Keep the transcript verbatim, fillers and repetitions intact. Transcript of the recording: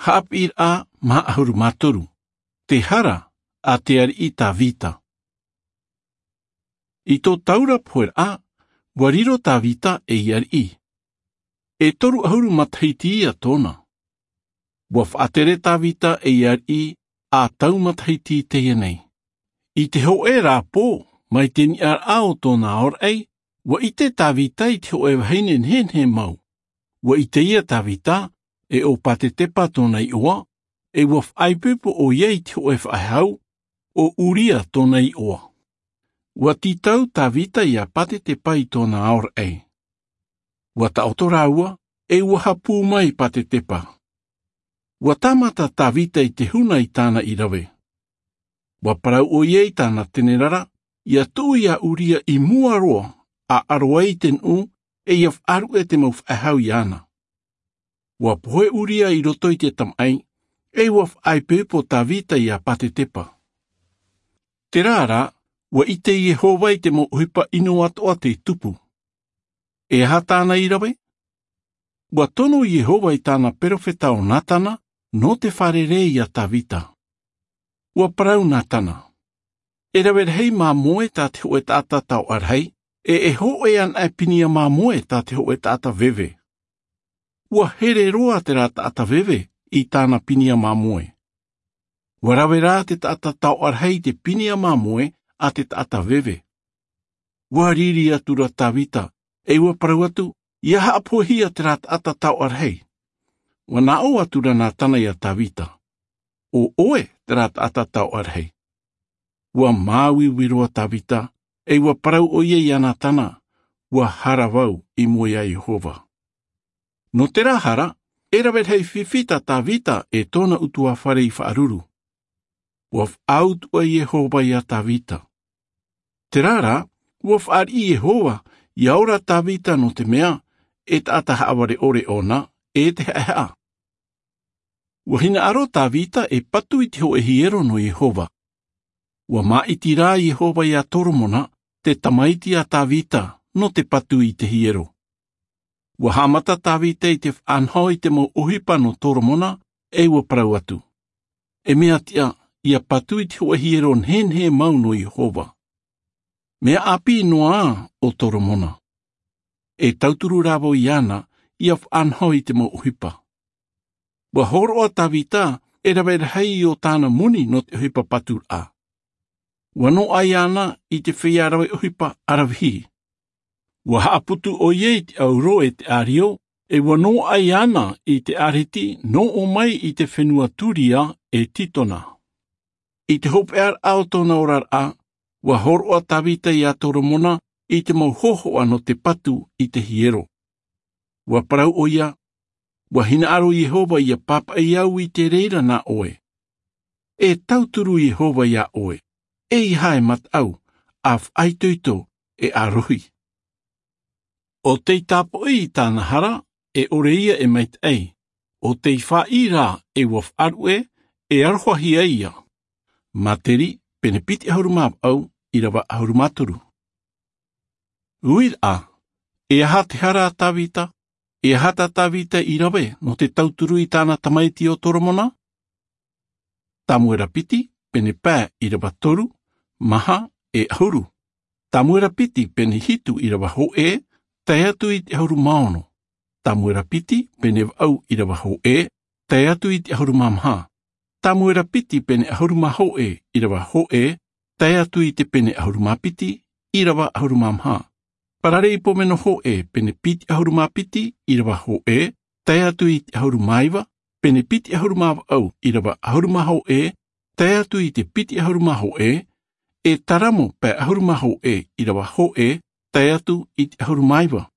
Haʻapiʻiraʻa maha ʻahuru mā toru. Te hara a te ariʻi Tavita. I tō taura pohe raʻa, ua riro Tavita ei ariʻi. E toru ʻahuru matahiti ia tōna. Ua faʻatere Tavita ei ariʻi a tau matahiti teie nei. I te hoʻe ra pō, mai te niʻa raʻa o tōna aoraʻi, ua ʻite Tavita i te hoʻe vahine nehenehe mau. Ua ʻite ia Tavita, e ʻo Patetepa tōna iʻoa, e ua faʻaipoipo ʻoia i te hoʻe faʻehau, ʻo Uria tōna iʻoa. Ua tītau Tavita ia Patetepa i tōna aoraʻi. Ua taʻoto rāua, e ua hapū mai Patetepa. Ua tāmata Tavita i te huna i tāna i rave. Ua parau ʻoia i tāna tenerara, ia tuʻu ia Uria i mua roa, ʻa ʻaro ai i te nuʻu, e ia faʻaruʻe te mau faʻehau iāna. Ua pohe Uria i roto i te tamaʻi, e ua faʻaipoipo Tavita ia Patetepa. Terā rā, ua ʻite Iehova i te mau ʻohipa ʻino atoʻa tei tupu. E aha tāna i rave? Ua tono Iehova i tāna perofeta ʻo Natana, nō te fārerei ia Tavita. Ua parau Natana. E rave rahi māmoe tā te hoʻe taʻata taoʻa rahi, e e hoʻe ana e pīnia māmoe tā te hoʻe taʻata veve. Ua here roa terā taʻata veve i tāna pīnia māmoe. Ua rave rā te taʻata taoʻa rahi i te pīnia māmoe a te taʻata veve. Ua riri atu ra Tavita, e ua parau atu, ia haʻapohehia terā taʻata taoʻa rahi. Ua naʻo atu ra Natana ia Tavita. ʻO ʻoe terā taʻata taoʻa rahi. Ua māuiui roa Tavita, e ua parau ʻoia ia Natana, ua hara vau i mua ia Iehova. Nō terā hara, e rave rahi fifi tā Tavita e tōna ʻutuāfare i faʻaruru. Ua faʻautuʻa Iehova ia Tavita. Terā rā, ua fāriʻi Iehova, ia ora Tavita nō te mea, e taʻata haʻavare ʻore ʻōna, e te haʻehaʻa. Ua hinaʻaro Tavita e patu i te hoʻe hiero nō Iehova. Ua māʻiti rā Iehova ia Toromona, te tamaiti a Tavita, nō te patu i te hiero. Ua haʻamata Tavita i te faʻanaho i te mau ʻohipa nō Toromona, e ua parau atu. E mea tiʻa, ia patu i te hoʻe hiero nehenehe mau nō Iehova. Mea ʻāpī noa ʻo Toromona. E tauturu rā vau iāna, ia faʻanaho i te mau ʻohipa. Ua hōroʻa Tavita, e rave rahi o tāna moni nō te ʻohipa paturaʻa. Ua noaʻa iāna i te feiā rave ʻohipa ʻaravihi. Ua haʻaputu ʻoia i te ʻauro e te ʻārio, e ua noaʻa iāna i te ʻāreti, nō ʻō mai i te fenua Turia e Titona. I te hopeʻaraʻa o tōna oraraʻa, ua hōroʻa Tavita ia Toromona i te mau hōhoʻa nō te patu i te hiero. Ua parau ʻoia, ua hinaʻaro Iehova ia pāpaʻi au i te reira nā ʻoe. E tauturu Iehova ia ʻoe, e ʻeiaha e mataʻu, ʻa faʻaitoito, e ʻa rohi. ʻO tei tāpoʻi i tāna hara, e ʻore ia e maitaʻi, ʻo tei fāʻi rā e ua faʻaruʻe, e arohahia ia. Materi, pene piti ʻahuru mā vaʻu, ʻīrava ʻahuru mā toru. Uiraʻa, e aha te hara a Tavita, e aha tā Tavita i rave nō te tauturu i tāna tamaiti ʻo Toromona? Tamuera piti, pene pae ʻīrava toru, maha, e ʻahuru. Tamuera piti, pene hitu ʻīrava hōʻē, tae atu i te ʻahuru mā ono. Tamuera piti, pene vaʻu ʻīrava hōʻē, tae atu i te ʻahuru mā maha. Tamuera piti, pene ʻahuru mā hōʻē ʻīrava hōʻē, tae atu i te pene ʻahuru mā piti ʻīrava ʻahuru mā maha. Paraleipomeno hōʻē, pene piti ʻahuru mā piti ʻīrava hōʻē, tae atu i te ʻahuru mā iva, pene piti ʻahuru mā vaʻu ʻīrava ʻahuru mā hōʻē, tae atu i te piti ʻahuru mā hōʻē, e taramo pae ʻahuru mā hōʻē ʻīrava hōʻē, tae atu i te ʻahuru mā iva.